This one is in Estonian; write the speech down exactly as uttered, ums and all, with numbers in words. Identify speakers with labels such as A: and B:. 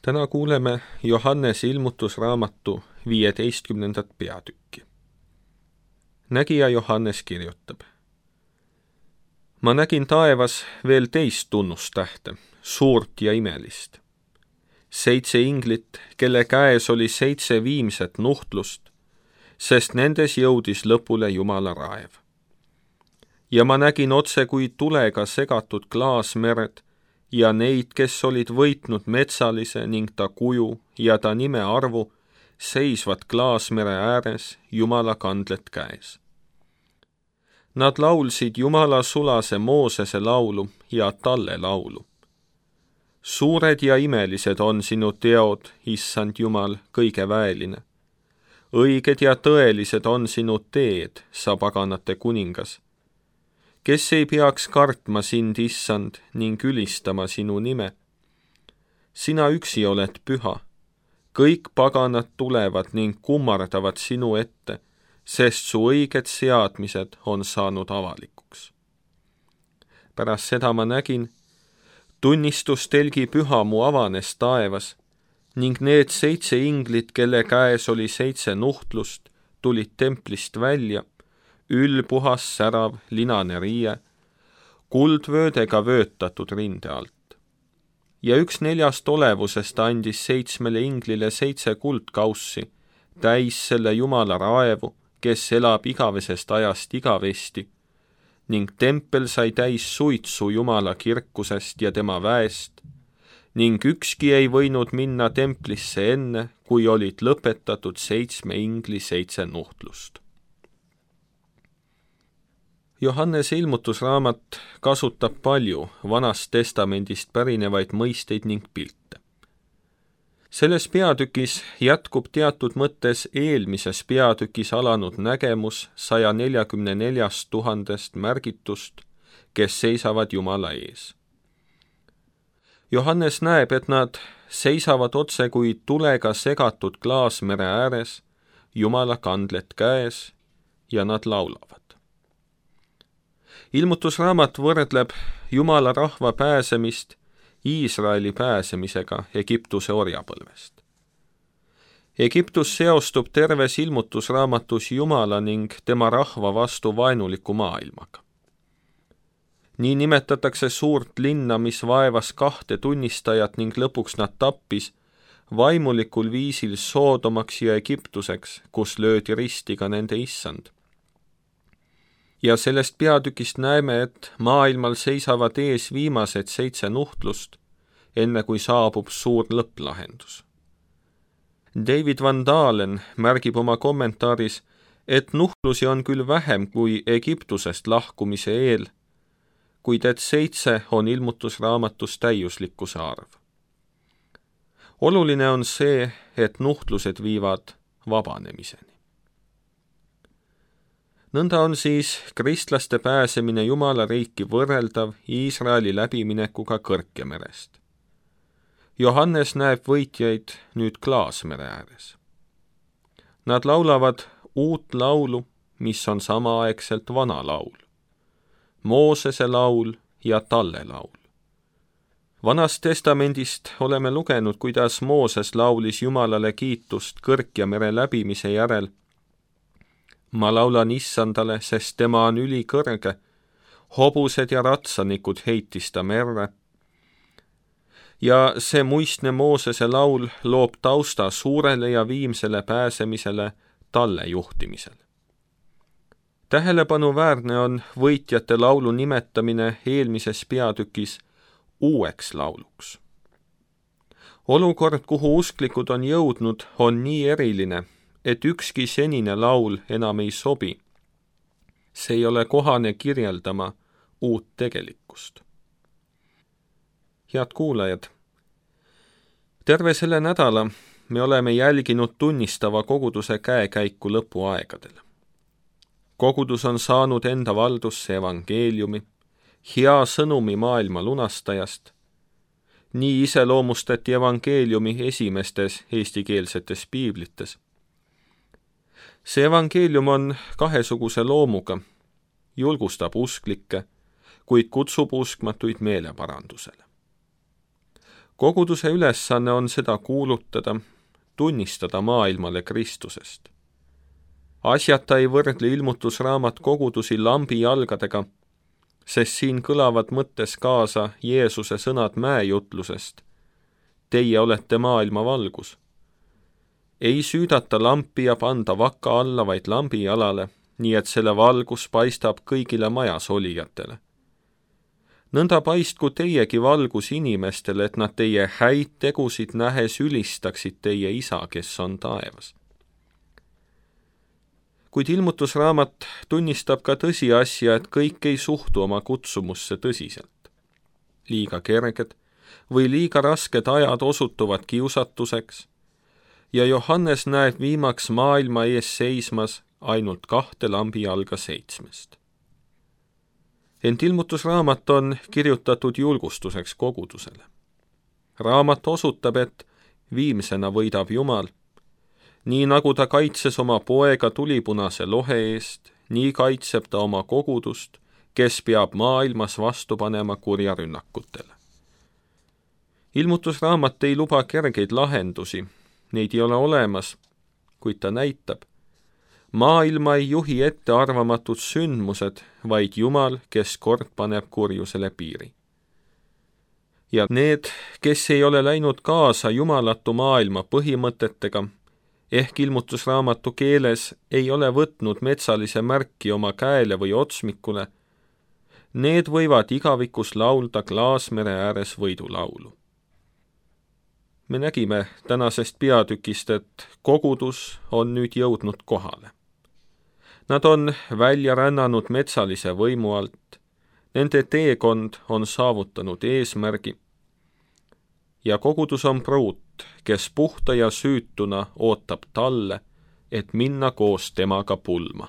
A: Täna kuuleme Johannese ilmutusraamatu viieteistkümnendat peatükki. Nägija Johannes kirjutab. Ma nägin taevas veel teist tunnustähte, suurt ja imelist. Seitse inglit, kelle käes oli seitse viimset nuhtlust, sest nendes jõudis lõpule Jumala raev. Ja ma nägin otse kui tulega segatud klaasmered ja neid, kes olid võitnud metsalise ning ta kuju ja ta nime arvu, seisvad klaasmere ääres Jumala kandlet käes. Nad laulsid Jumala sulase Moosese laulu ja talle laulu. Suured ja imelised on sinu teod, issand Jumal, kõige väeline. Õiged ja tõelised on sinu teed, sa paganate kuningas. Kes ei peaks kartma sind, issand, ning ülistama sinu nime? Sina üksi oled püha. Kõik paganad tulevad ning kummardavad sinu ette, sest su õiged seadmised on saanud avalikuks. Pärast seda ma nägin, tunnistustelgi püha mu avanes taevas, ning need seitse inglit, kelle käes oli seitse nuhtlust, tulid templist välja, ülpuhas särav linane riie, kuldvöödega vöötatud rinde alt. Ja üks neljast olevusest andis seitsmele inglile seitse kuldkaussi, täis selle Jumala raevu, kes elab igavesest ajast igavesti, ning tempel sai täis suitsu Jumala kirkusest ja tema väest, ning ükski ei võinud minna templisse enne, kui olid lõpetatud seitsme ingli seitse nuhtlust. Johannese ilmutusraamat kasutab palju Vanast Testamendist pärinevaid mõisteid ning pilte. Selles peatükis jätkub teatud mõttes eelmises peatükis alanud nägemus saja neljakümne neljast tuhandest märgitust, kes seisavad Jumala ees. Johannes näeb, et nad seisavad otse kui tulega segatud klaasmere ääres, Jumala kandlet käes ja nad laulavad. Ilmutusraamat võrdleb Jumala rahva pääsemist Iisraeli pääsemisega Egiptuse orjapõlvest. Egiptus seostub terves ilmutusraamatus Jumala ning tema rahva vastu vaenuliku maailmaga. Nii nimetatakse suurt linna, mis vaevas kahte tunnistajat ning lõpuks nad tappis, vaimulikul viisil Soodomaks ja Egiptuseks, kus löödi risti ka nende issand. Ja sellest peatükist näeme, et maailmal seisavad ees viimased seitse nuhtlust, enne kui saabub suur lõpplahendus. David Van Dalen märgib oma kommentaaris, et nuhtlusi on küll vähem kui Egiptusest lahkumise eel, kuid et seitse on ilmutusraamatus täiuslikkuse arv. Oluline on see, et nuhtlused viivad vabanemiseni. Nõnda on siis kristlaste pääsemine Jumala riiki võrreldav Iisraeli läbiminekuga Kõrkemerest. Johannes näeb võitjaid nüüd klaasmere ääres. Nad laulavad uut laulu, mis on samaaegselt vana laul. Moosese laul ja talle laul. Vanast testamendist oleme lugenud, kuidas Mooses laulis Jumalale kiitust Kõrkemere läbimise järel. Ma laulan issandale, sest tema on ülikõrge, hobused ja ratsanikud heitis ta merre. Ja see muistne Moosese laul loob tausta suurele ja viimsele pääsemisele talle juhtimisel. Tähelepanuväärne on võitjate laulu nimetamine eelmises peatükis uueks lauluks. Olukord, kuhu usklikud on jõudnud, on nii eriline, et ükski senine laul enam ei sobi. See ei ole kohane kirjeldama uut tegelikkust. Head kuulajad, terve selle nädala me oleme jälginud tunnistava koguduse käekäiku lõpuaegadel. Kogudus on saanud enda valdusse evangeeliumi, hea sõnumi maailma lunastajast. Nii iseloomustati evangeeliumi esimestes eestikeelsetes piiblites. See evangeelium on kahesuguse loomuga, julgustab usklikke, kuid kutsub uskmatuid meeleparandusele. Koguduse ülesanne on seda kuulutada, tunnistada maailmale Kristusest. Asjata ei võrdle ilmutusraamat kogudusi lambi jalgadega, sest siin kõlavad mõttes kaasa Jeesuse sõnad mäejutlusest. Teie olete maailma valgus. Ei süüdata lampi ja panda vaka alla, vaid lambi jalale, nii et selle valgus paistab kõigile majas olijatele. Nõnda paistku teiegi valgus inimestele, et nad teie häid tegusid nähes ülistaksid teie isa, kes on taevas. Kuid ilmutusraamat tunnistab ka tõsiasja, et kõik ei suhtu oma kutsumusse tõsiselt. Liiga kerged või liiga rasked ajad osutuvad kiusatuseks ja Johannes näeb viimaks maailma ees seismas ainult kahte lambi jalga seitsmest. Ent ilmutusraamat on kirjutatud julgustuseks kogudusele. Raamat osutab, et viimsena võidab Jumal. Nii nagu ta kaitses oma poega tulipunase lohe eest, nii kaitseb ta oma kogudust, kes peab maailmas vastu panema kurja rünnakutele. Ilmutusraamat ei luba kergeid lahendusi, neid ei ole olemas, kuid ta näitab. Maailma ei juhi ette arvamatud sündmused, vaid Jumal, kes kord paneb kurjusele piiri. Ja need, kes ei ole läinud kaasa jumalatu maailma põhimõtetega, ehk ilmutusraamatu keeles ei ole võtnud metsalise märki oma käele või otsmikule, need võivad igavikus laulda Klaasmere ääres võidulaulu. Me nägime tänasest peatükist, et kogudus on nüüd jõudnud kohale. Nad on välja rännanud metsalise võimu alt, nende teekond on saavutanud eesmärgi ja kogudus on pruut, kes puhta ja süütuna ootab talle, et minna koos temaga pulma.